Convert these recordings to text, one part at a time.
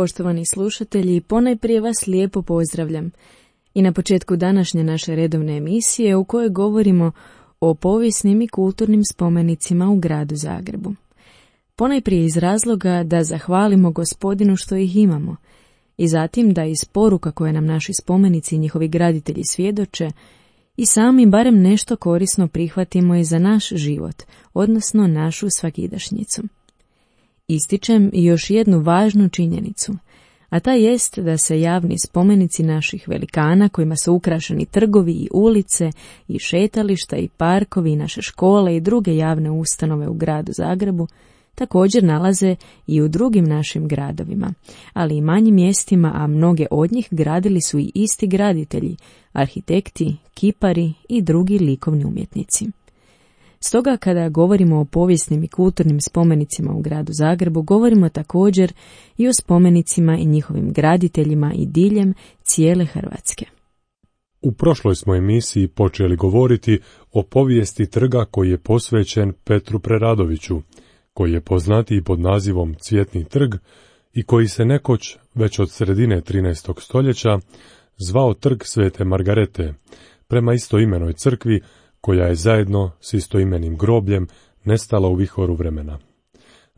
Poštovani slušatelji, ponajprije vas lijepo pozdravljam i na početku današnje naše redovne emisije u kojoj govorimo o povijesnim i kulturnim spomenicima u gradu Zagrebu. Ponajprije iz razloga da zahvalimo Gospodinu što ih imamo i zatim da iz poruka koje nam naši spomenici i njihovi graditelji svjedoče i sami barem nešto korisno prihvatimo i za naš život, odnosno našu svakidašnjicu. Ističem još jednu važnu činjenicu, a ta jest da se javni spomenici naših velikana kojima su ukrašeni trgovi i ulice i šetališta i parkovi i naše škole i druge javne ustanove u gradu Zagrebu također nalaze i u drugim našim gradovima, ali i manjim mjestima, a mnoge od njih gradili su i isti graditelji, arhitekti, kipari i drugi likovni umjetnici. Stoga kada govorimo o povijesnim i kulturnim spomenicima u gradu Zagrebu, govorimo također i o spomenicima i njihovim graditeljima i diljem cijele Hrvatske. U prošloj smo emisiji počeli govoriti o povijesti trga koji je posvećen Petru Preradoviću, koji je poznatiji pod nazivom Cvjetni trg i koji se nekoć, već od sredine 13. stoljeća, zvao Trg Svete Margarete, prema istoimenoj crkvi koja je zajedno s istoimenim grobljem nestala u vihoru vremena.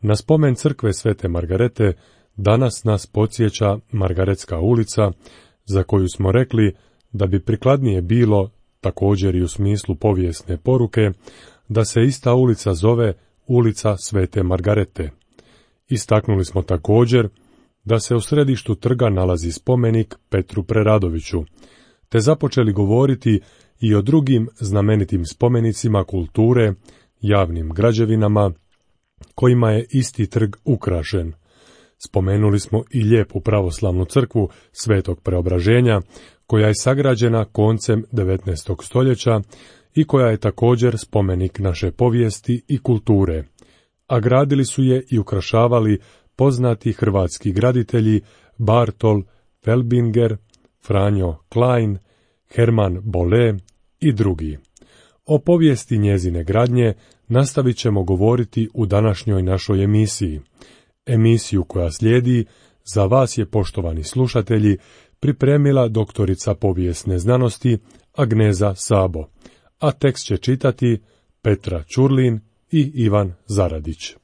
Na spomen crkve Svete Margarete danas nas podsjeća Margaretska ulica, za koju smo rekli da bi prikladnije bilo, također i u smislu povijesne poruke, da se ista ulica zove Ulica Svete Margarete. Istaknuli smo također da se u središtu trga nalazi spomenik Petru Preradoviću, te započeli govoriti i o drugim znamenitim spomenicima kulture, javnim građevinama, kojima je isti trg ukrašen. Spomenuli smo i lijepu pravoslavnu crkvu Svetog Preobraženja, koja je sagrađena koncem 19. stoljeća i koja je također spomenik naše povijesti i kulture, a gradili su je i ukrašavali poznati hrvatski graditelji Bartol Felbinger, Franjo Klein, Herman Bolle i drugi. O povijesti njezine gradnje nastavit ćemo govoriti u današnjoj našoj emisiji. Emisiju koja slijedi za vas je, poštovani slušatelji, pripremila doktorica povijesne znanosti Agneza Sabo, a tekst će čitati Petra Ćurlin i Ivan Zaradić.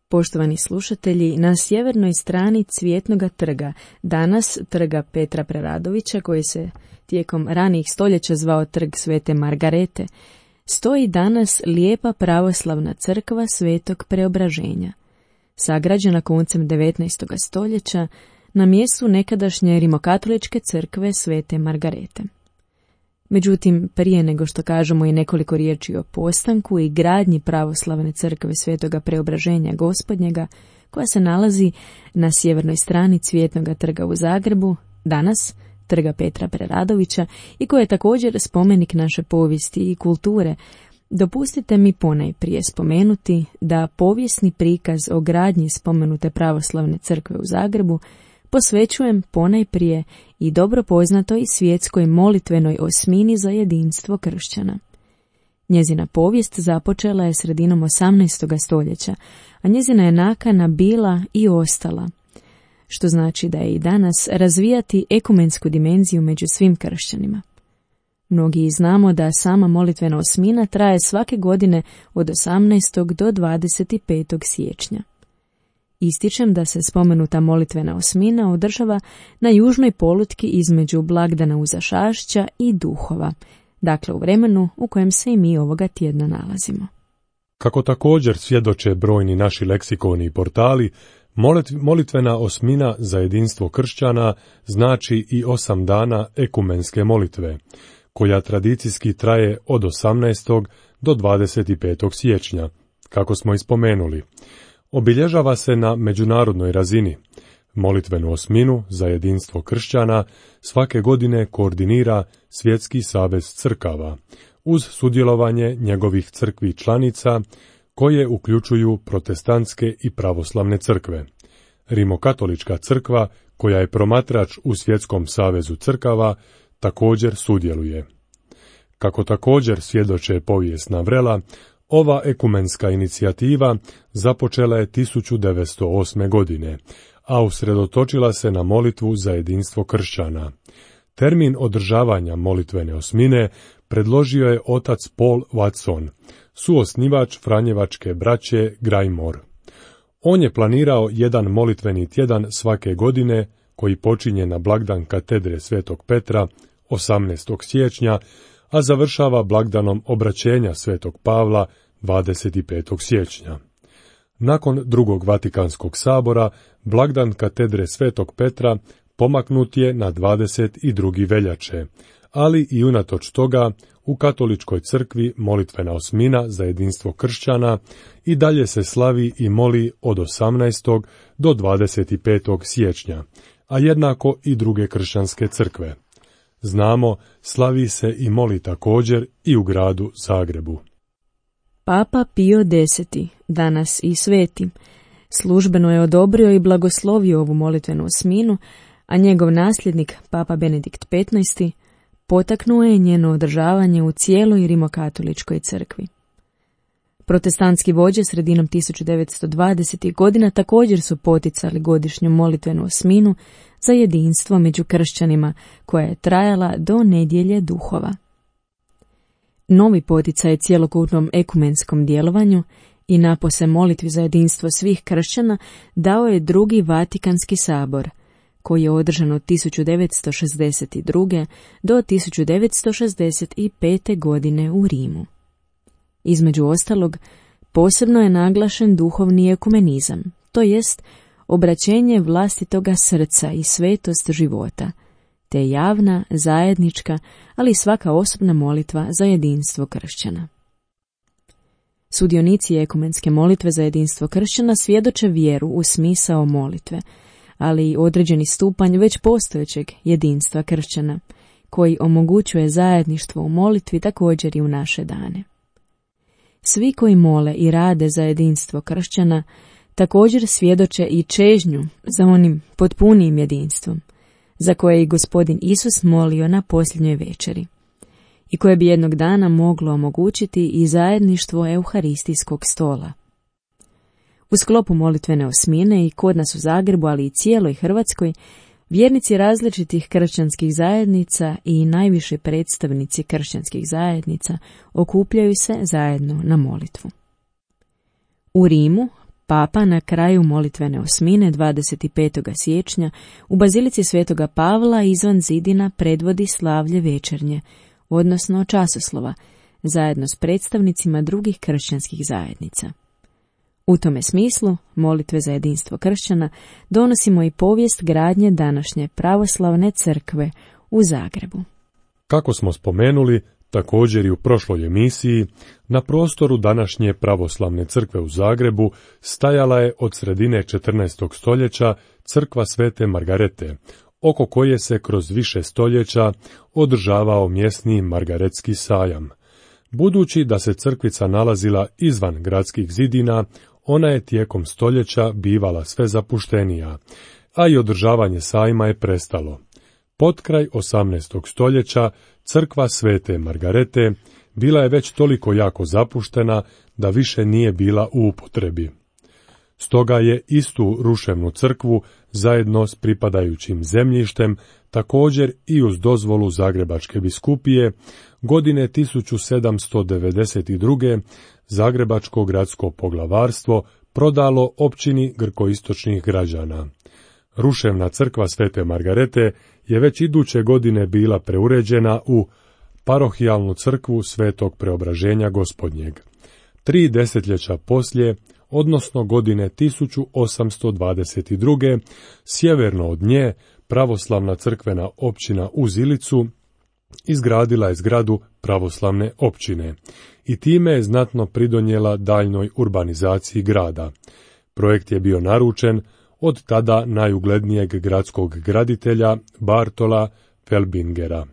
Poštovani slušatelji, na sjevernoj strani Cvjetnoga trga, danas trga Petra Preradovića, koji se tijekom ranijih stoljeća zvao Trg Svete Margarete, stoji danas lijepa pravoslavna crkva Svetog Preobraženja, sagrađena koncem 19. stoljeća na mjestu nekadašnje rimokatoličke crkve Svete Margarete. Međutim, prije nego što kažemo i nekoliko riječi o postanku i gradnji pravoslavne crkve Svetoga Preobraženja Gospodnjega, koja se nalazi na sjevernoj strani Cvjetnoga trga u Zagrebu, danas trga Petra Preradovića, i koji je također spomenik naše povijesti i kulture, dopustite mi ponajprije spomenuti da povijesni prikaz o gradnji spomenute pravoslavne crkve u Zagrebu posvećujem ponajprije i dobro poznatoj svjetskoj molitvenoj osmini za jedinstvo kršćana. Njezina povijest započela je sredinom 18. stoljeća, a njezina je nakana bila i ostala, što znači da je i danas razvijati ekumensku dimenziju među svim kršćanima. Mnogi znamo da sama molitvena osmina traje svake godine od 18. do 25. siječnja. Ističem da se spomenuta molitvena osmina održava na južnoj polutki između blagdana Uzašašća i Duhova, dakle u vremenu u kojem se i mi ovoga tjedna nalazimo. Kako također svjedoče brojni naši leksikoni i portali, molitvena osmina za jedinstvo kršćana znači i 8 dana ekumenske molitve, koja tradicijski traje od 18. do 25. siječnja, kako smo ispomenuli. Obilježava se na međunarodnoj razini. Molitvenu osminu za jedinstvo kršćana svake godine koordinira Svjetski savez crkava, uz sudjelovanje njegovih crkvi članica, koje uključuju protestantske i pravoslavne crkve. Rimokatolička crkva, koja je promatrač u Svjetskom savezu crkava, također sudjeluje. Kako također svjedoče povijesna vrela, ova ekumenska inicijativa započela je 1908. godine, a usredotočila se na molitvu za jedinstvo kršćana. Termin održavanja molitvene osmine predložio je otac Paul Watson, suosnivač Franjevačke braće Grajmor. On je planirao jedan molitveni tjedan svake godine, koji počinje na blagdan katedre Svetog Petra, 18. siječnja, a završava blagdanom obraćenja Svetog Pavla, 25. siječnja. Nakon drugog Vatikanskog sabora, blagdan katedre Svetog Petra pomaknut je na 22. veljače, ali i unatoč toga u katoličkoj crkvi molitvena osmina za jedinstvo kršćana i dalje se slavi i moli od 18. do 25. siječnja, a jednako i druge kršćanske crkve. Znamo, slavi se i moli također i u gradu Zagrebu. Papa Pio X, danas i sveti, službeno je odobrio i blagoslovio ovu molitvenu osminu, a njegov nasljednik, Papa Benedikt XV, potaknuo je njeno održavanje u cijeloj rimokatoličkoj crkvi. Protestantski vođe sredinom 1920. godina također su poticali godišnju molitvenu osminu za jedinstvo među kršćanima, koja je trajala do nedjelje duhova. Novi poticaj cjelokupnom ekumenskom djelovanju i napose molitvi za jedinstvo svih kršćana dao je drugi Vatikanski sabor, koji je održan od 1962. do 1965. godine u Rimu. Između ostalog, posebno je naglašen duhovni ekumenizam, to jest obraćenje vlastitoga srca i svetost života, te javna, zajednička, ali i svaka osobna molitva za jedinstvo kršćana. Sudionici ekumenske molitve za jedinstvo kršćana svjedoče vjeru u smisao molitve, ali i određeni stupanj već postojećeg jedinstva kršćana, koji omogućuje zajedništvo u molitvi također i u naše dane. Svi koji mole i rade za jedinstvo kršćana također svjedoče i čežnju za onim potpunijim jedinstvom, za koje je i Gospodin Isus molio na posljednjoj večeri, i koje bi jednog dana moglo omogućiti i zajedništvo euharistijskog stola. U sklopu molitvene osmine i kod nas u Zagrebu, ali i cijeloj Hrvatskoj, vjernici različitih kršćanskih zajednica i najviše predstavnici kršćanskih zajednica okupljaju se zajedno na molitvu. U Rimu, Papa na kraju molitvene osmine 25. siječnja u Bazilici Svetoga Pavla izvan zidina predvodi slavlje večernje, odnosno časoslova, zajedno s predstavnicima drugih kršćanskih zajednica. U tome smislu, molitve za jedinstvo kršćana, donosimo i povijest gradnje današnje pravoslavne crkve u Zagrebu. Kako smo spomenuli, također i u prošloj emisiji, na prostoru današnje pravoslavne crkve u Zagrebu stajala je od sredine 14. stoljeća crkva Svete Margarete, oko koje se kroz više stoljeća održavao mjesni Margaretski sajam. Budući da se crkvica nalazila izvan gradskih zidina, ona je tijekom stoljeća bivala sve zapuštenija, a i održavanje sajma je prestalo. Potkraj 18. stoljeća crkva Svete Margarete bila je već toliko jako zapuštena da više nije bila u upotrebi. Stoga je istu ruševnu crkvu zajedno s pripadajućim zemljištem, također i uz dozvolu Zagrebačke biskupije, godine 1792. Zagrebačko gradsko poglavarstvo prodalo općini grkoistočnih građana. Ruševna crkva Svete Margarete je već iduće godine bila preuređena u parohijalnu crkvu Svetog Preobraženja Gospodnjeg. 3 desetljeća poslije, odnosno godine 1822. sjeverno od nje pravoslavna crkvena općina uz Ilicu izgradila je zgradu pravoslavne općine i time je znatno pridonijela daljnjoj urbanizaciji grada. Projekt je bio naručen od tada najuglednijeg gradskog graditelja Bartola Felbingera.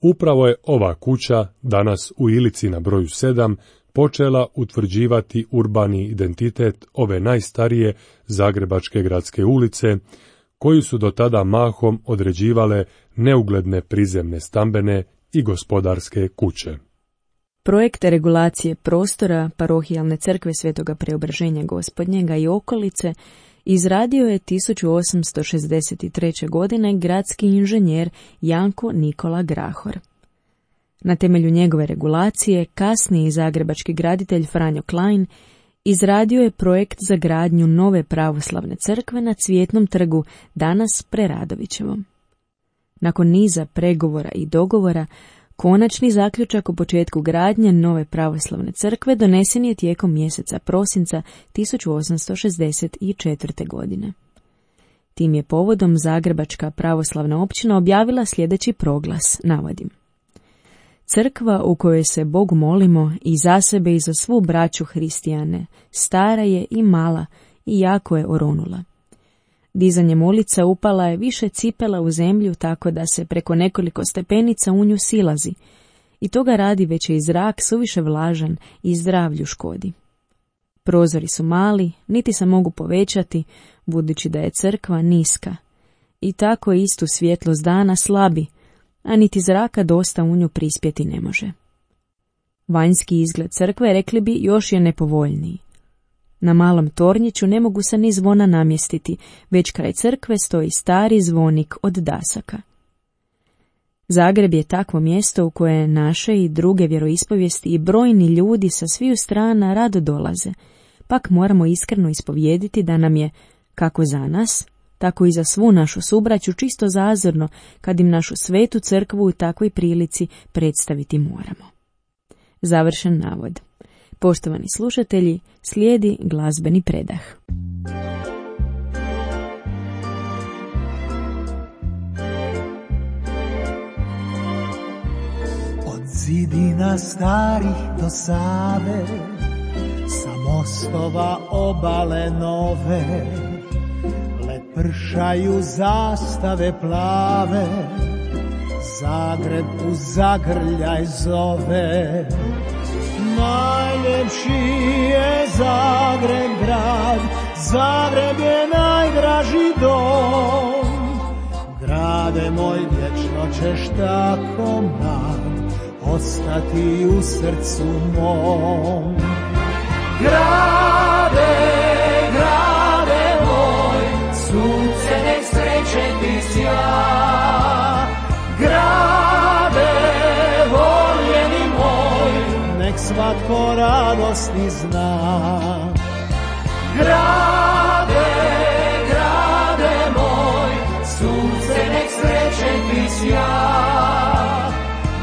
Upravo je ova kuća, danas u Ilici na broju 7, počela utvrđivati urbani identitet ove najstarije zagrebačke gradske ulice, koju su do tada mahom određivale neugledne prizemne stambene i gospodarske kuće. Projekt regulacije prostora parohijalne crkve Svetoga Preobraženja Gospodnjega i okolice izradio je 1863. godine gradski inženjer Janko Nikola Grahor. Na temelju njegove regulacije, kasniji zagrebački graditelj Franjo Klein izradio je projekt za gradnju nove pravoslavne crkve na Cvjetnom trgu, danas Preradovićevom. Nakon niza pregovora i dogovora, konačni zaključak o početku gradnje nove pravoslavne crkve donesen je tijekom mjeseca prosinca 1864. godine. Tim je povodom Zagrebačka pravoslavna općina objavila sljedeći proglas, navodim: Crkva u kojoj se Bogu molimo i za sebe i za svu braću hristijane, stara je i mala i jako je oronula. Dizanjem ulica upala je više cipela u zemlju, tako da se preko nekoliko stepenica u nju silazi, i toga radi već je i zrak suviše vlažan i zdravlju škodi. Prozori su mali, niti se mogu povećati, budući da je crkva niska, i tako istu svjetlost dana slabi, a niti zraka dosta u nju prispjeti ne može. Vanjski izgled crkve, rekli bi, još je nepovoljniji. Na malom tornjiću ne mogu se ni zvona namjestiti, već kraj crkve stoji stari zvonik od dasaka. Zagreb je takvo mjesto u koje naše i druge vjeroispovijesti i brojni ljudi sa sviju strana rado dolaze, pak moramo iskreno ispovijediti da nam je, kako za nas, tako i za svu našu subraću, čisto zazorno kad im našu svetu crkvu u takvoj prilici predstaviti moramo. Završen navod. Poštovani slušatelji, slijedi glazbeni predah. Od zidina starih do Save, sa mostova obale nove, lepršaju zastave plave, Zagreb u zagrljaj zove. Najljepši je Zagreb grad, Zagreb je najdraži dom. Grade moj, vječno ćeš tako mlad ostati u srcu mom. Grade, grade moj, sunce nek sreće ti sja. Grade, voljeni moj, nek svatko radosni zna. Grade, grade moj, sunce nek sreće ti sja.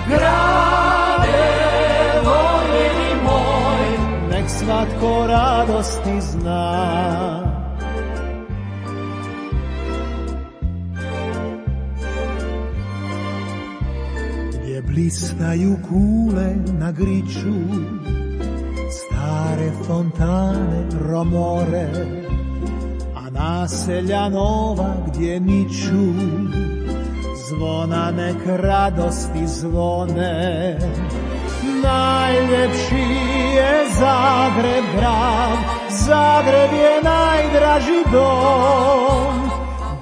Grade, voljeni moj, nek svatko radosni zna. Blistaju kule na griču, stare fontane romore, a naselja nova gdje niču, zvona nek radosti zvone. Najljepši je Zagreb grad, Zagreb je najdraži dom.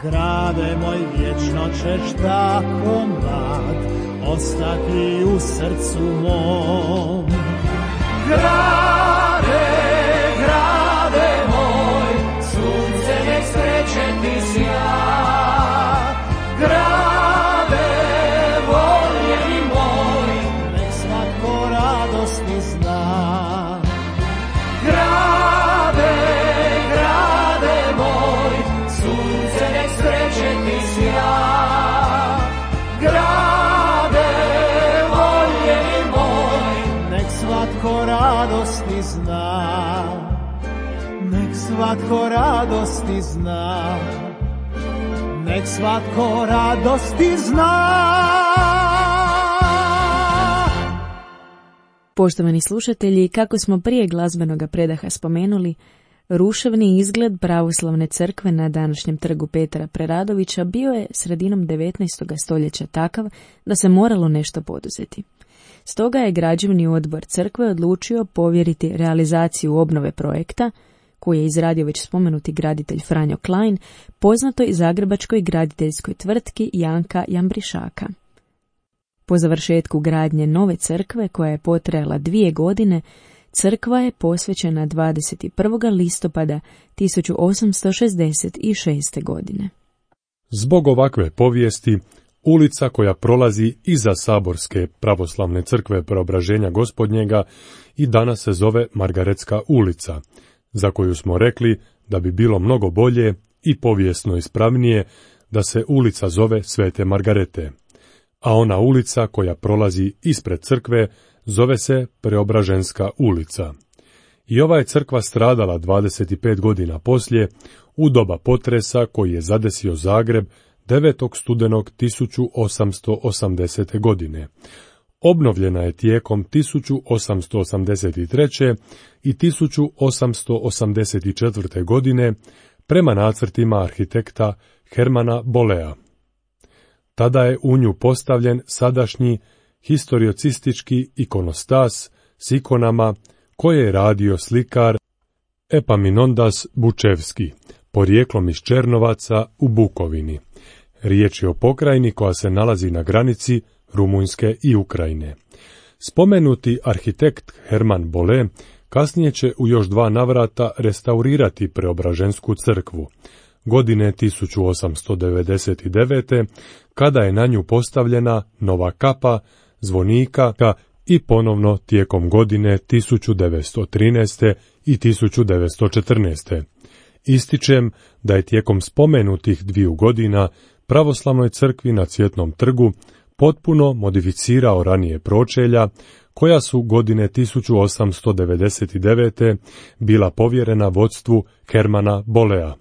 Grade moj, vječno ćeš tako mlad ostati u srcu mom. Grade, grade moj, sunce nek sreće ti sja. Grade, voljeni moj, nek svatko radosni zna. Grade, grade moj, sunce nek sreće ti sja. Svatko radosni zna, nek svatko radosni zna, nek svatko radosni zna. Poštovani slušatelji, kako smo prije glazbenog predaha spomenuli, ruševni izgled pravoslavne crkve na današnjem trgu Petra Preradovića bio je sredinom 19. stoljeća takav da se moralo nešto poduzeti. Stoga je građevni odbor crkve odlučio povjeriti realizaciju obnove projekta, koji je izradio već spomenuti graditelj Franjo Klein, poznatoj zagrebačkoj graditeljskoj tvrtki Janka Jambrišaka. Po završetku gradnje nove crkve, koja je potrajala 2 godine, crkva je posvećena 21. listopada 1866. godine. Zbog ovakve povijesti, ulica koja prolazi iza Saborske pravoslavne crkve Preobraženja Gospodnjega i danas se zove Margaretska ulica, za koju smo rekli da bi bilo mnogo bolje i povijesno ispravnije da se ulica zove Svete Margarete, a ona ulica koja prolazi ispred crkve zove se Preobraženska ulica. I ova je crkva stradala 25 godina poslije, u doba potresa koji je zadesio Zagreb 9. studenog 1880. godine. Obnovljena je tijekom 1883. i 1884. godine prema nacrtima arhitekta Hermana Bolea. Tada je u nju postavljen sadašnji historiocistički ikonostas s ikonama koje je radio slikar Epaminondas Bučevski, porijeklom iz Černovaca u Bukovini. Riječ je o pokrajini koja se nalazi na granici Rumunjske i Ukrajine. Spomenuti arhitekt Herman Bole kasnije će u još 2 navrata restaurirati Preobražensku crkvu. Godine 1899. kada je na nju postavljena nova kapa, zvonika i ponovno tijekom godine 1913. i 1914. Ističem da je tijekom spomenutih 2 godina pravoslavnoj crkvi na Cvjetnom trgu potpuno modificirao ranije pročelja, koja su godine 1899. bila povjerena vodstvu Hermana Bolea.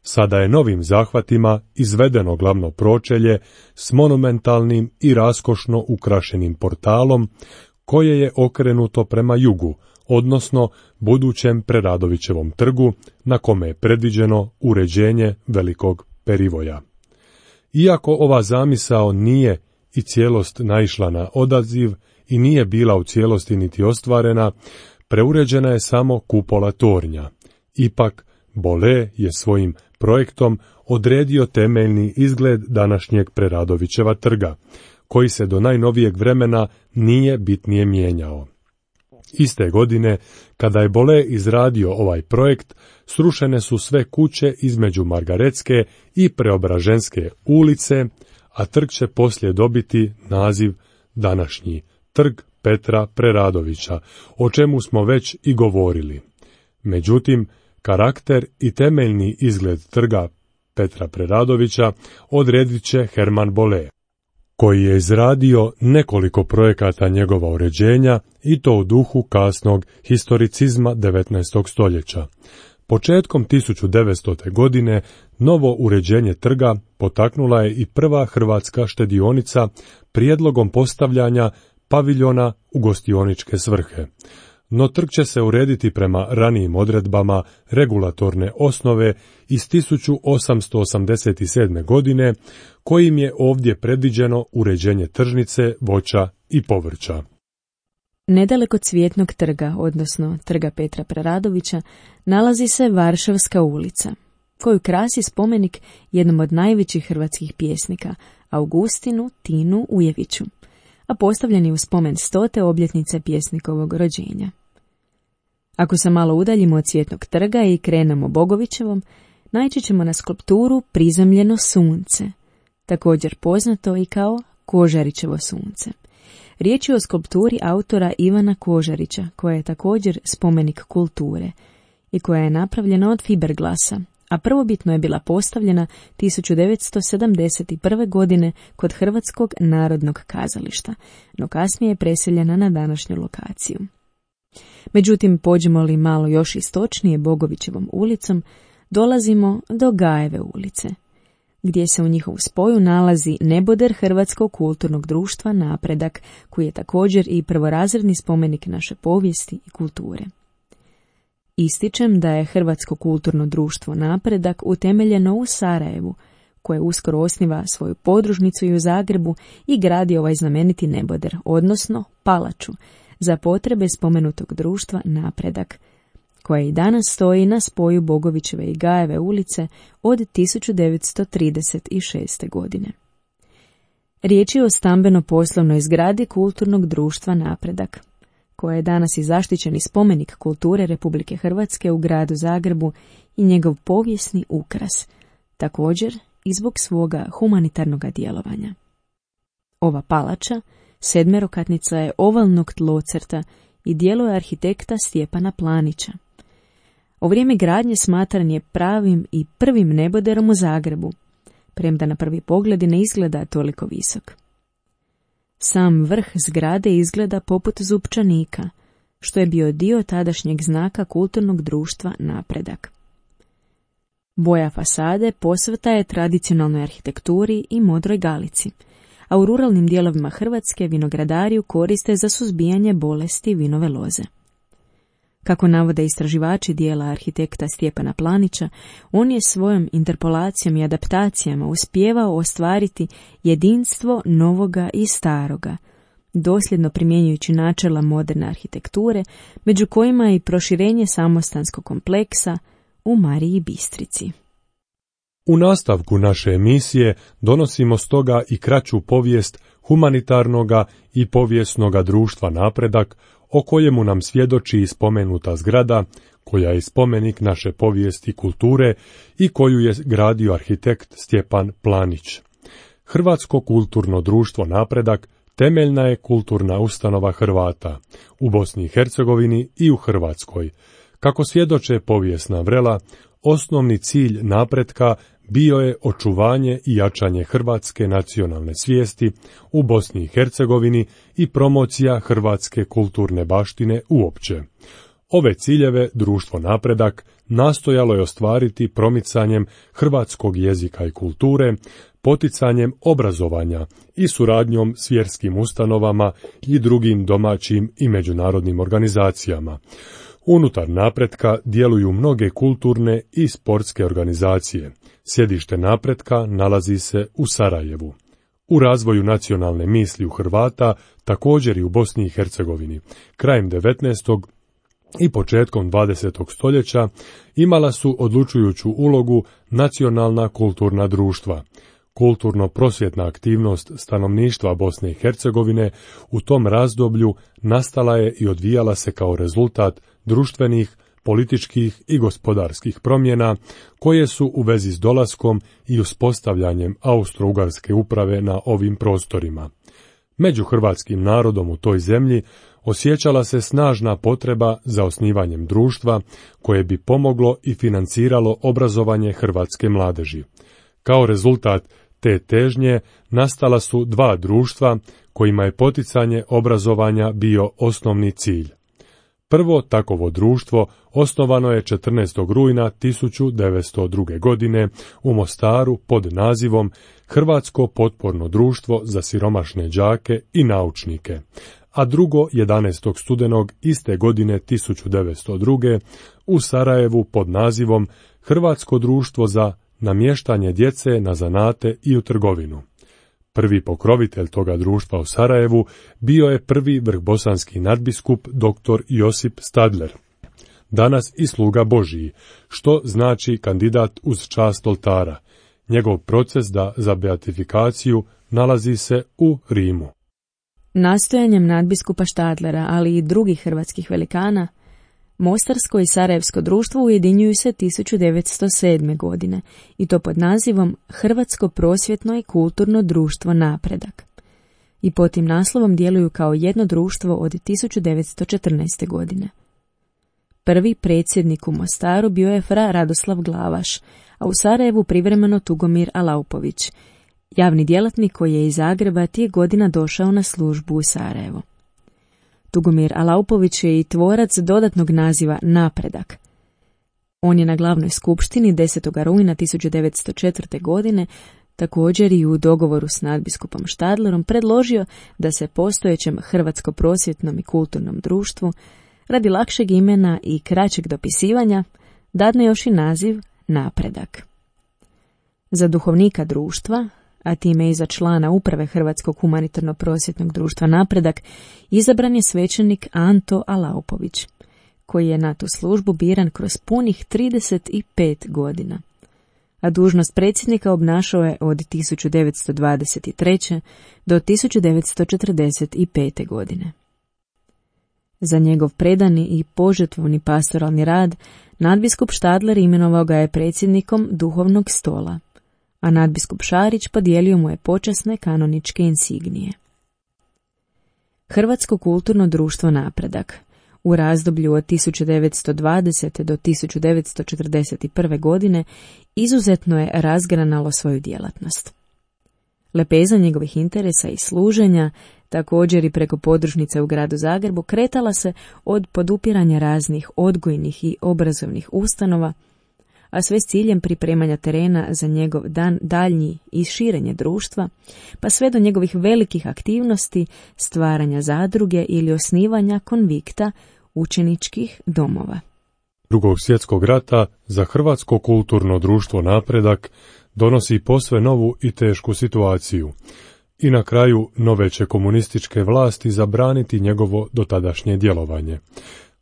Sada je novim zahvatima izvedeno glavno pročelje s monumentalnim i raskošno ukrašenim portalom, koje je okrenuto prema jugu, odnosno budućem Preradovićevom trgu, na kome je predviđeno uređenje velikog perivoja. Iako ova zamisao nije i cijelost naišla na odaziv i nije bila u cijelosti niti ostvarena, preuređena je samo kupola tornja. Ipak, Bole je svojim projektom odredio temeljni izgled današnjeg Preradovićeva trga, koji se do najnovijeg vremena nije bitnije mijenjao. Iste godine, kada je Bole izradio ovaj projekt, srušene su sve kuće između Margaretske i Preobraženske ulice, a trg će poslije dobiti naziv današnji Trg Petra Preradovića, o čemu smo već i govorili. Međutim, karakter i temeljni izgled trga Petra Preradovića odredit će Herman Bole, koji je izradio nekoliko projekata njegova uređenja i to u duhu kasnog historicizma 19. stoljeća. Početkom 1900. godine novo uređenje trga potaknula je i prva hrvatska štedionica prijedlogom postavljanja paviljona u gostioničke svrhe. No trg će se urediti prema ranijim odredbama regulatorne osnove iz 1887. godine, kojim je ovdje predviđeno uređenje tržnice, voća i povrća. Nedaleko Cvjetnog trga, odnosno Trga Petra Preradovića, nalazi se Varšavska ulica, koju krasi spomenik jednom od najvećih hrvatskih pjesnika, Augustinu Tinu Ujeviću, a postavljen je u spomen 100. obljetnice pjesnikovog rođenja. Ako se malo udaljimo od Cvjetnog trga i krenemo Bogovićevom, naići ćemo na skulpturu Prizemljeno sunce, također poznato i kao Kožarićevo sunce. Riječ je o skulpturi autora Ivana Kožarića, koja je također spomenik kulture i koja je napravljena od fiberglasa, a prvobitno je bila postavljena 1971. godine kod Hrvatskog narodnog kazališta, no kasnije je preseljena na današnju lokaciju. Međutim, pođemo li malo još istočnije Bogovićevom ulicom, dolazimo do Gajeve ulice, gdje se u njihovu spoju nalazi neboder Hrvatskog kulturnog društva Napredak, koji je također i prvorazredni spomenik naše povijesti i kulture. Ističem da je Hrvatsko kulturno društvo Napredak utemeljeno u Sarajevu, koje uskoro osniva svoju podružnicu i u Zagrebu i gradi ovaj znameniti neboder, odnosno palaču, za potrebe spomenutog društva Napredak, koja i danas stoji na spoju Bogovićeve i Gajeve ulice od 1936. godine. Riječ je o stambeno-poslovnoj zgradi kulturnog društva Napredak, koja je danas i zaštićeni spomenik kulture Republike Hrvatske u gradu Zagrebu i njegov povijesni ukras, također i zbog svoga humanitarnog djelovanja. Ova palača, sedmerokatnica je ovalnog tlocrta i djelo je arhitekta Stjepana Planića. U vrijeme gradnje smatran je pravim i prvim neboderom u Zagrebu, premda na prvi pogled ne izgleda toliko visok. Sam vrh zgrade izgleda poput zupčanika, što je bio dio tadašnjeg znaka kulturnog društva Napredak. Boja fasade posveta je tradicionalnoj arhitekturi i modroj galici, a u ruralnim dijelovima Hrvatske vinogradari ju koriste za suzbijanje bolesti vinove loze. Kako navode istraživači dijela arhitekta Stjepana Planića, on je svojom interpolacijom i adaptacijama uspijevao ostvariti jedinstvo novoga i staroga, dosljedno primjenjujući načela moderne arhitekture, među kojima je i proširenje samostanskog kompleksa u Mariji Bistrici. U nastavku naše emisije donosimo stoga i kraću povijest humanitarnoga i povijesnoga društva Napredak, o kojemu nam svjedoči i spomenuta zgrada, koja je spomenik naše povijesti i kulture i koju je gradio arhitekt Stjepan Planić. Hrvatsko kulturno društvo Napredak temeljna je kulturna ustanova Hrvata u Bosni i Hercegovini i u Hrvatskoj. Kako svjedoče povijesna vrela, osnovni cilj napretka bio je očuvanje i jačanje hrvatske nacionalne svijesti u Bosni i Hercegovini i promocija hrvatske kulturne baštine uopće. Ove ciljeve društvo Napredak nastojalo je ostvariti promicanjem hrvatskog jezika i kulture, poticanjem obrazovanja i suradnjom s vjerskim ustanovama i drugim domaćim i međunarodnim organizacijama. Unutar Napretka djeluju mnoge kulturne i sportske organizacije. Sjedište Napretka nalazi se u Sarajevu. U razvoju nacionalne misli u Hrvata, također i u Bosni i Hercegovini, krajem 19. i početkom 20. stoljeća imala su odlučujuću ulogu nacionalna kulturna društva. Kulturno-prosvjetna aktivnost stanovništva Bosne i Hercegovine u tom razdoblju nastala je i odvijala se kao rezultat društvenih, političkih i gospodarskih promjena koje su u vezi s dolaskom i uspostavljanjem austro-ugarske uprave na ovim prostorima. Među hrvatskim narodom u toj zemlji osjećala se snažna potreba za osnivanjem društva koje bi pomoglo i financiralo obrazovanje hrvatske mladeži. Kao rezultat te težnje nastala su dva društva kojima je poticanje obrazovanja bio osnovni cilj. Prvo takovo društvo osnovano je 14. rujna 1902. godine u Mostaru pod nazivom Hrvatsko potporno društvo za siromašne đake i naučnike, a drugo 11. studenog iste godine 1902. u Sarajevu pod nazivom Hrvatsko društvo za namještanje djece na zanate i u trgovinu. Prvi pokrovitelj toga društva u Sarajevu bio je prvi vrhbosanski nadbiskup dr. Josip Stadler, danas i sluga Božiji, što znači kandidat uz čast oltara. Njegov proces za beatifikaciju nalazi se u Rimu. Nastojanjem nadbiskupa Stadlera, ali i drugih hrvatskih velikana, Mostarsko i Sarajevsko društvo ujedinjuju se 1907. godine i to pod nazivom Hrvatsko prosvjetno i kulturno društvo Napredak. I pod tim naslovom djeluju kao jedno društvo od 1914. godine. Prvi predsjednik u Mostaru bio je fra Radoslav Glavaš, a u Sarajevu privremeno Tugomir Alaupović, javni djelatnik koji je iz Zagreba tih godina došao na službu u Sarajevo. Tugomir Alaupović je i tvorac dodatnog naziva Napredak. On je na glavnoj skupštini 10. rujna 1904. godine također i u dogovoru s nadbiskupom Stadlerom predložio da se postojećem Hrvatsko prosvjetnom i kulturnom društvu radi lakšeg imena i kraćeg dopisivanja dadne još i naziv Napredak. Za duhovnika društva, a time i za člana uprave Hrvatskog humanitarno-prosvjetnog društva Napredak, izabran je svećenik Anto Alaupović, koji je na tu službu biran kroz punih 35 godina, a dužnost predsjednika obnašao je od 1923. do 1945. godine. Za njegov predani i požrtvovni pastoralni rad nadbiskup Štadler imenovao ga je predsjednikom duhovnog stola, a nadbiskup Šarić podijelio mu je počasne kanoničke insignije. Hrvatsko kulturno društvo Napredak u razdoblju od 1920. do 1941. godine izuzetno je razgranalo svoju djelatnost. Lepeza njegovih interesa i služenja, također i preko podružnice u gradu Zagrebu, kretala se od podupiranja raznih odgojnih i obrazovnih ustanova, a sve s ciljem pripremanja terena za njegov daljnji i širenje društva, pa sve do njegovih velikih aktivnosti, stvaranja zadruge ili osnivanja konvikta učeničkih domova. Drugog svjetskog rata za Hrvatsko kulturno društvo Napredak donosi posve novu i tešku situaciju. I na kraju nove će komunističke vlasti zabraniti njegovo dotadašnje djelovanje.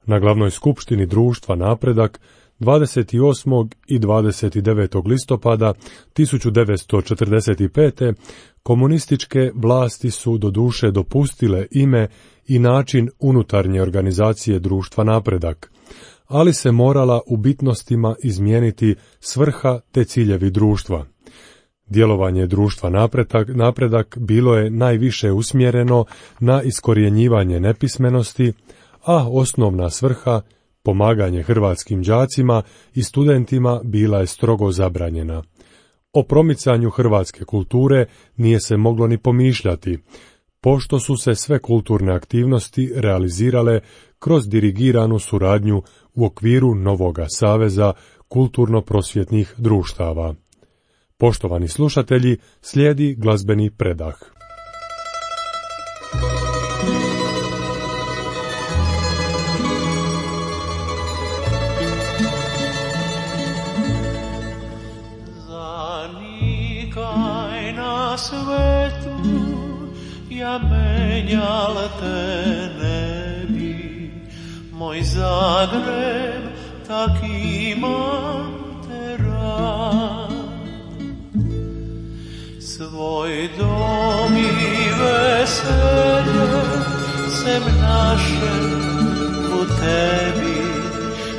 Na glavnoj skupštini društva Napredak 28. i 29. listopada 1945. komunističke vlasti su doduše dopustile ime i način unutarnje organizacije društva Napredak, ali se morala u bitnostima izmijeniti svrha te ciljevi društva. Djelovanje društva Napredak bilo je najviše usmjereno na iskorjenjivanje nepismenosti, a osnovna svrha, pomaganje hrvatskim đacima i studentima, bila je strogo zabranjena. O promicanju hrvatske kulture nije se moglo ni pomišljati, pošto su se sve kulturne aktivnosti realizirale kroz dirigiranu suradnju u okviru novoga saveza kulturno-prosvjetnih društava. Poštovani slušatelji, slijedi glazbeni predah. Zanikaj na svetu, ja menjal te ne bi, moj Zagreb tak ima te rad. Svoj dom i veselje sem naše u tebi,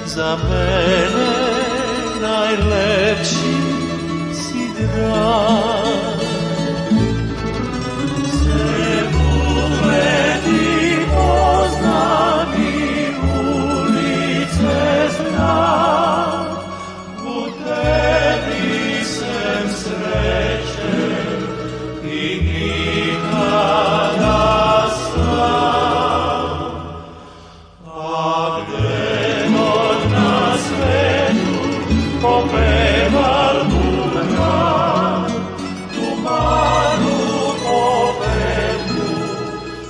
za mene najlepši si drag. Sve bubleti poznam i ulice znam, u tebi sem sreće i nikada sam. A gde god na svetu popeval bubna, tu malu popeku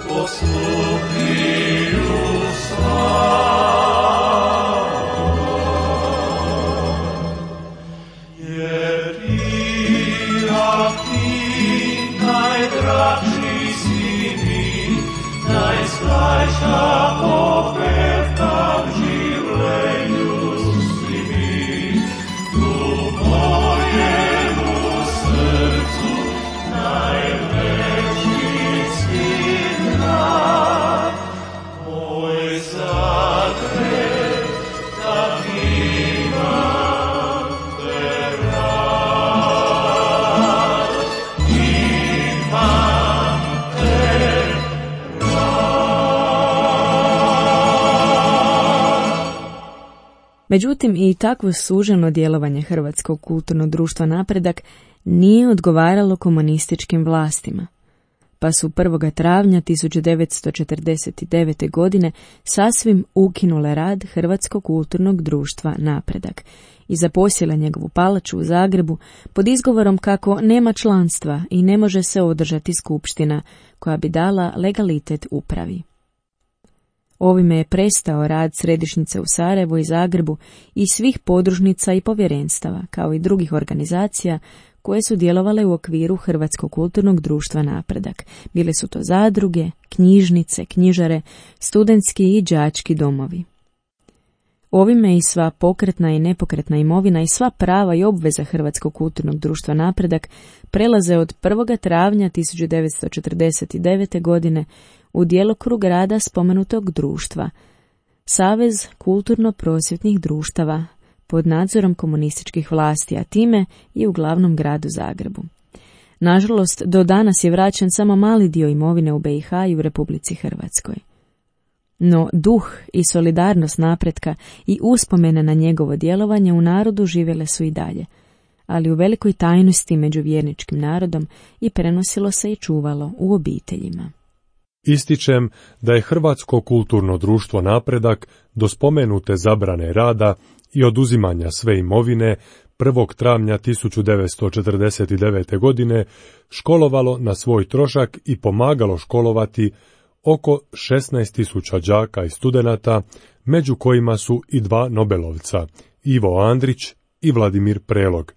postupiju svam. Jer ti, a ti, najdraži si mi, najslađa popevka v življenju si mi, u mojemu srcu najveći si drag. Moj Zagreb, tak imam te rad, imam te Međutim, i takvo suženo djelovanje Hrvatskog kulturnog društva Napredak nije odgovaralo komunističkim vlastima, pa su 1. travnja 1949. godine sasvim ukinule rad Hrvatskog kulturnog društva Napredak i zaposjele njegovu palaču u Zagrebu pod izgovorom kako nema članstva i ne može se održati skupština koja bi dala legalitet upravi. Ovime je prestao rad središnjice u Sarajevu i Zagrebu i svih podružnica i povjerenstava, kao i drugih organizacija koje su djelovale u okviru Hrvatskog kulturnog društva Napredak. Bile su to zadruge, knjižnice, knjižare, studentski i đački domovi. Ovime i sva pokretna i nepokretna imovina i sva prava i obveza Hrvatskog kulturnog društva Napredak prelaze od 1. travnja 1949. godine u djelokrug rada spomenutog društva, Savez kulturno-prosvjetnih društava, pod nadzorom komunističkih vlasti, a time i u glavnom gradu Zagrebu. Nažalost, do danas je vraćen samo mali dio imovine u BiH i u Republici Hrvatskoj. No duh i solidarnost napretka i uspomene na njegovo djelovanje u narodu živjele su i dalje, ali u velikoj tajnosti među vjerničkim narodom i prenosilo se i čuvalo u obiteljima. Ističem da je Hrvatsko kulturno društvo Napredak do spomenute zabrane rada i oduzimanja sve imovine 1. travnja 1949. godine školovalo na svoj trošak i pomagalo školovati oko 16.000 đaka i studenata, među kojima su i 2 Nobelovca, Ivo Andrić i Vladimir Prelog,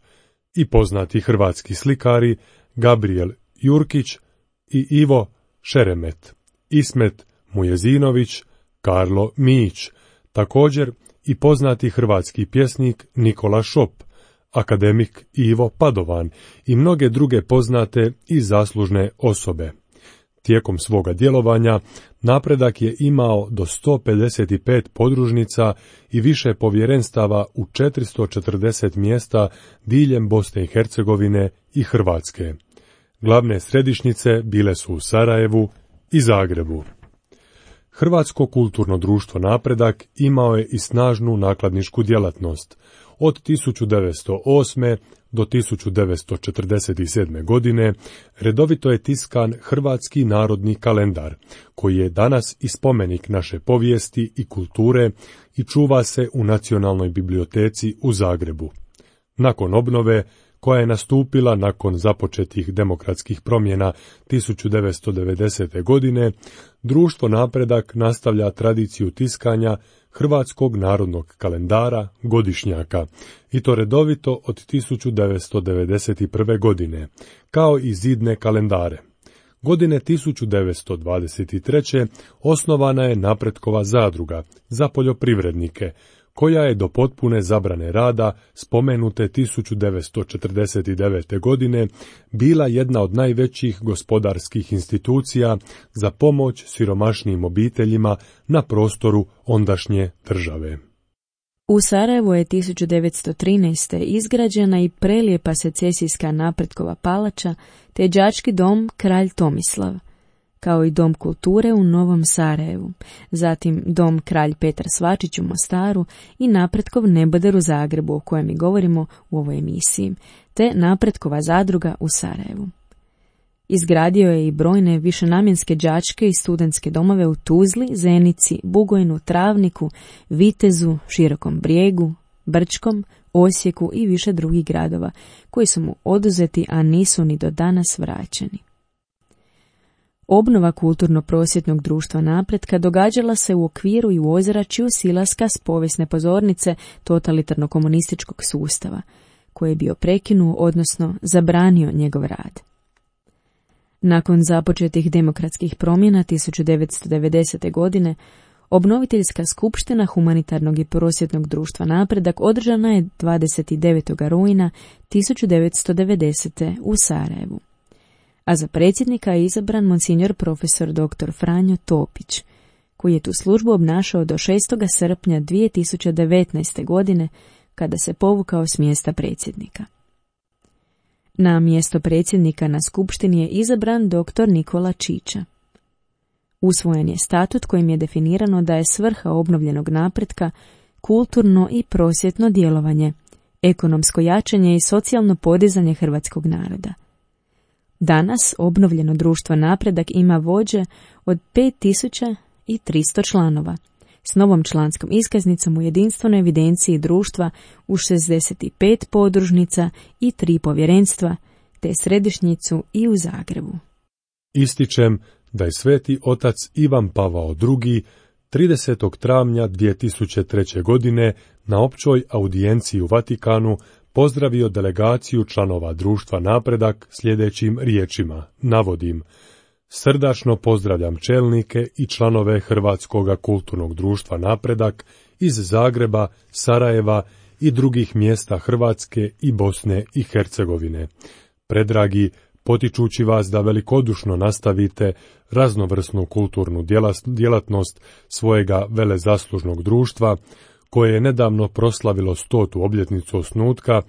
i poznati hrvatski slikari Gabriel Jurkić i Ivo Šeremet, Ismet Mujezinović, Karlo Mijić, također i poznati hrvatski pjesnik Nikola Šop, akademik Ivo Padovan i mnoge druge poznate i zaslužne osobe. Tijekom svoga djelovanja Napredak je imao do 155 podružnica i više povjerenstava u 440 mjesta diljem Bosne i Hercegovine i Hrvatske. Glavne središnjice bile su u Sarajevu i Zagrebu. Hrvatsko kulturno društvo Napredak imao je i snažnu nakladničku djelatnost. Od 1908. do 1947. godine redovito je tiskan Hrvatski narodni kalendar, koji je danas i spomenik naše povijesti i kulture i čuva se u Nacionalnoj biblioteci u Zagrebu. Nakon obnove, koja je nastupila nakon započetih demokratskih promjena 1990. godine, društvo Napredak nastavlja tradiciju tiskanja Hrvatskog narodnog kalendara godišnjaka, i to redovito od 1991. godine, kao i zidne kalendare. Godine 1923. osnovana je Napretkova zadruga za poljoprivrednike, koja je do potpune zabrane rada spomenute 1949. godine bila jedna od najvećih gospodarskih institucija za pomoć siromašnijim obiteljima na prostoru ondašnje države. U Sarajevu je 1913. izgrađena i prelijepa secesijska Napretkova palača te đački dom Kralj Tomislav, kao i Dom kulture u Novom Sarajevu, zatim Dom Kralj Petar Svačić u Mostaru i Napretkov neboder u Zagrebu, o kojem i govorimo u ovoj emisiji, te Napretkova zadruga u Sarajevu. Izgradio je i brojne višenamjenske đačke i studentske domove u Tuzli, Zenici, Bugojnu, Travniku, Vitezu, Širokom Brijegu, Brčkom, Osijeku i više drugih gradova, koji su mu oduzeti, a nisu ni do danas vraćeni. Obnova kulturno-prosvjetnog društva Napretka događala se u okviru i u ozračju silaska s povijesne pozornice totalitarno-komunističkog sustava, koji je bio prekinuo, odnosno zabranio njegov rad. Nakon započetih demokratskih promjena 1990. godine, obnoviteljska skupština humanitarnog i prosvjetnog društva Napredak održana je 29. rujna 1990. u Sarajevu. A za predsjednika je izabran monsignor profesor dr. Franjo Topić, koji je tu službu obnašao do 6. srpnja 2019. godine, kada se povukao s mjesta predsjednika. Na mjesto predsjednika na skupštini je izabran dr. Nikola Čiča. Usvojen je statut kojim je definirano da je svrha obnovljenog napretka kulturno i prosvjetno djelovanje, ekonomsko jačanje i socijalno podizanje hrvatskog naroda. Danas obnovljeno društvo Napredak ima vođe od 5300 članova, s novom članskom iskaznicom u jedinstvenoj evidenciji društva u 65 podružnica i 3 povjerenstva, te središnjicu i u Zagrebu. Ističem da je sveti otac Ivan Pavao II. 30. travnja 2003. godine na općoj audijenciji u Vatikanu pozdravio delegaciju članova društva Napredak sljedećim riječima, navodim: srdačno pozdravljam čelnike i članove Hrvatskoga kulturnog društva Napredak iz Zagreba, Sarajeva i drugih mjesta Hrvatske i Bosne i Hercegovine. Predragi potičući vas da velikodušno nastavite raznovrsnu kulturnu djelatnost svojega velezaslužnog društva, koje je nedavno proslavilo 100. obljetnicu osnutka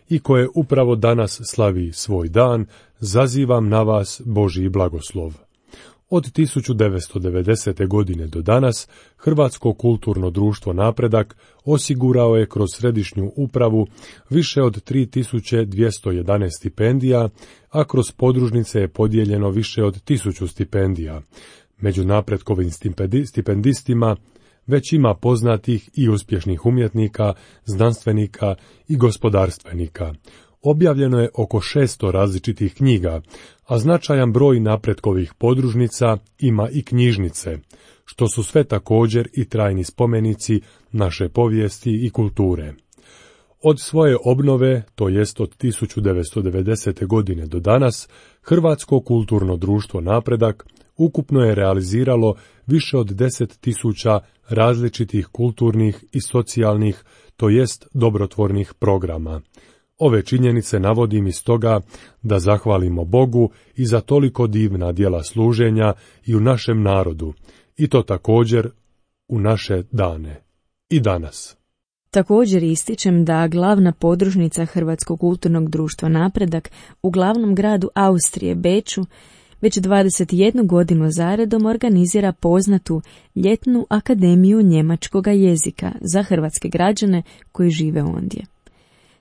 i koje upravo danas slavi svoj dan, zazivam na vas Božji blagoslov. Od 1990. godine do danas Hrvatsko kulturno društvo Napredak osigurao je kroz središnju upravu više od 3211 stipendija, a kroz podružnice je podijeljeno više od 1000 stipendija. Među napretkovim stipendistima već ima poznatih i uspješnih umjetnika, znanstvenika i gospodarstvenika. Objavljeno je oko 600 različitih knjiga, a značajan broj napretkovih podružnica ima i knjižnice, što su sve također i trajni spomenici naše povijesti i kulture. Od svoje obnove, to jest od 1990. godine do danas, Hrvatsko kulturno društvo Napredak ukupno je realiziralo više od 10.000 različitih kulturnih i socijalnih, to jest dobrotvornih programa. Ove činjenice navodim iz toga da zahvalimo Bogu i za toliko divna djela služenja i u našem narodu, i to također u naše dane i danas. Također ističem da glavna podružnica Hrvatskog kulturnog društva Napredak u glavnom gradu Austrije, Beču, već 21 godinu zaredom organizira poznatu ljetnu akademiju njemačkoga jezika za hrvatske građane koji žive ondje.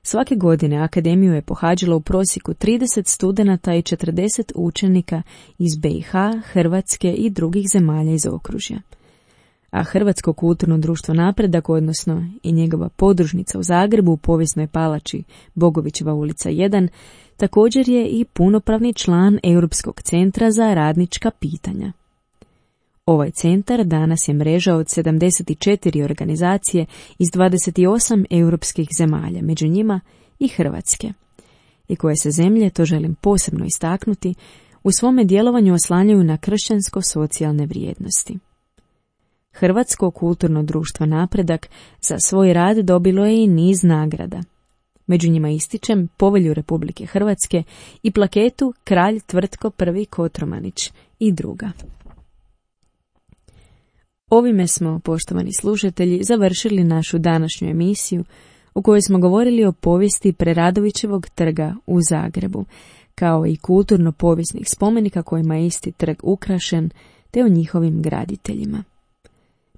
Svake godine akademiju je pohađalo u prosjeku 30 studenata i 40 učenika iz BiH, Hrvatske i drugih zemalja iz okružja. A Hrvatsko kulturno društvo Napredak, odnosno i njegova podružnica u Zagrebu u povijesnoj palači Bogovićeva ulica 1, također je i punopravni član Europskog centra za radnička pitanja. Ovaj centar danas je mreža od 74 organizacije iz 28 europskih zemalja, među njima i Hrvatske, i koje se zemlje, to želim posebno istaknuti, u svome djelovanju oslanjaju na kršćansko-socijalne vrijednosti. Hrvatsko kulturno društvo Napredak za svoj rad dobilo je i niz nagrada. Među njima ističem Povelju Republike Hrvatske i plaketu Kralj Tvrtko I Kotromanić i druga. Ovime smo, poštovani slušatelji, završili našu današnju emisiju u kojoj smo govorili o povijesti Preradovićevog trga u Zagrebu, kao i kulturno-povijesnih spomenika kojima je isti trg ukrašen, te o njihovim graditeljima.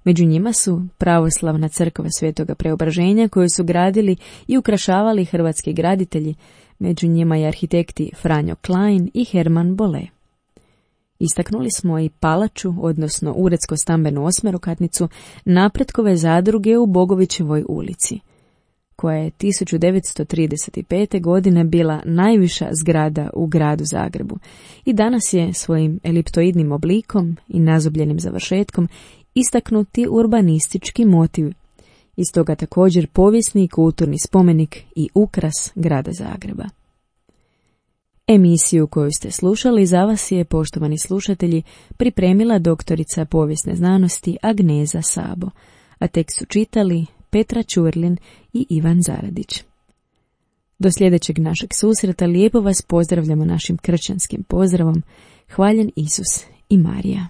Među njima su pravoslavna crkva Svetoga Preobraženja koju su gradili i ukrašavali hrvatski graditelji, među njima i arhitekti Franjo Klein i Herman Bolle. Istaknuli smo i palaču, odnosno uredsko-stambenu osmerokatnicu Napretkove zadruge u Bogovićevoj ulici, koja je 1935. godine bila najviša zgrada u gradu Zagrebu i danas je svojim eliptoidnim oblikom i nazobljenim završetkom istaknuti urbanistički motiv, iz toga također povijesni i kulturni spomenik i ukras grada Zagreba. Emisiju koju ste slušali za vas je, poštovani slušatelji, pripremila doktorica povijesne znanosti Agneza Sabo, a tekst su čitali Petra Ćurlin i Ivan Zaradić. Do sljedećeg našeg susreta lijepo vas pozdravljamo našim kršćanskim pozdravom. Hvaljen Isus i Marija.